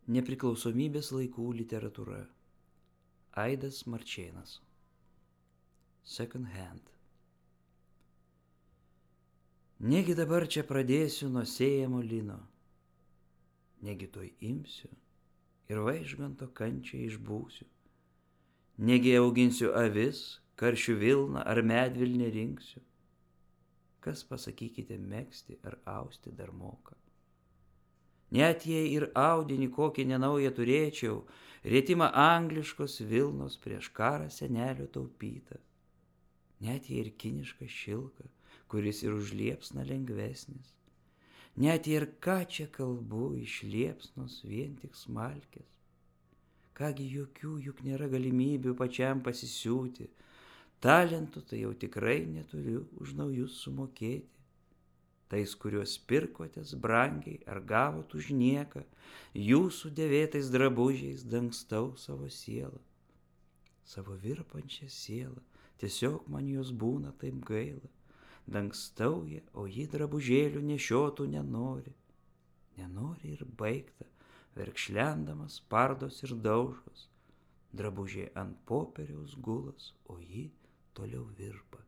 Nepriklausomybės laikų literatūra. Aidas Marčėnas. Second hand. Negi dabar čia pradėsiu nuo sėjamo lino, negi tuoj imsiu ir vaižganto kančią išbūsiu, negi auginsiu avis, karšių vilną ar medvilnę rinksiu. Kas, pasakykite, megzti ar austi dar moka? Net jei ir audinį kokį nenaują turėčiau, rėtimą angliškos vilnos prieš karą senelio taupyta. Net jei ir kinišką šilką, kuris ir už liepsną lengvesnis. Net jei ir ką čia kalbu, iš liepsnos vien tik smalkės. Kągi jokių juk nėra galimybių pačiam pasisiūti, talentų tai jau tikrai neturiu už naujus sumokėti. Tais, kuriuos pirkotės brangiai ar gavot už nieką, jūsų dėvėtais drabužiais dangstau savo sielą. Savo virpančią sielą, tiesiog man jos būna taip gaila. Dangstau ją, o ji drabužėlių nešiotų nenori. Nenori ir baigta, verkšlendamas pardos ir daužos. Drabužiai ant popieriaus gulas, o ji toliau virpa.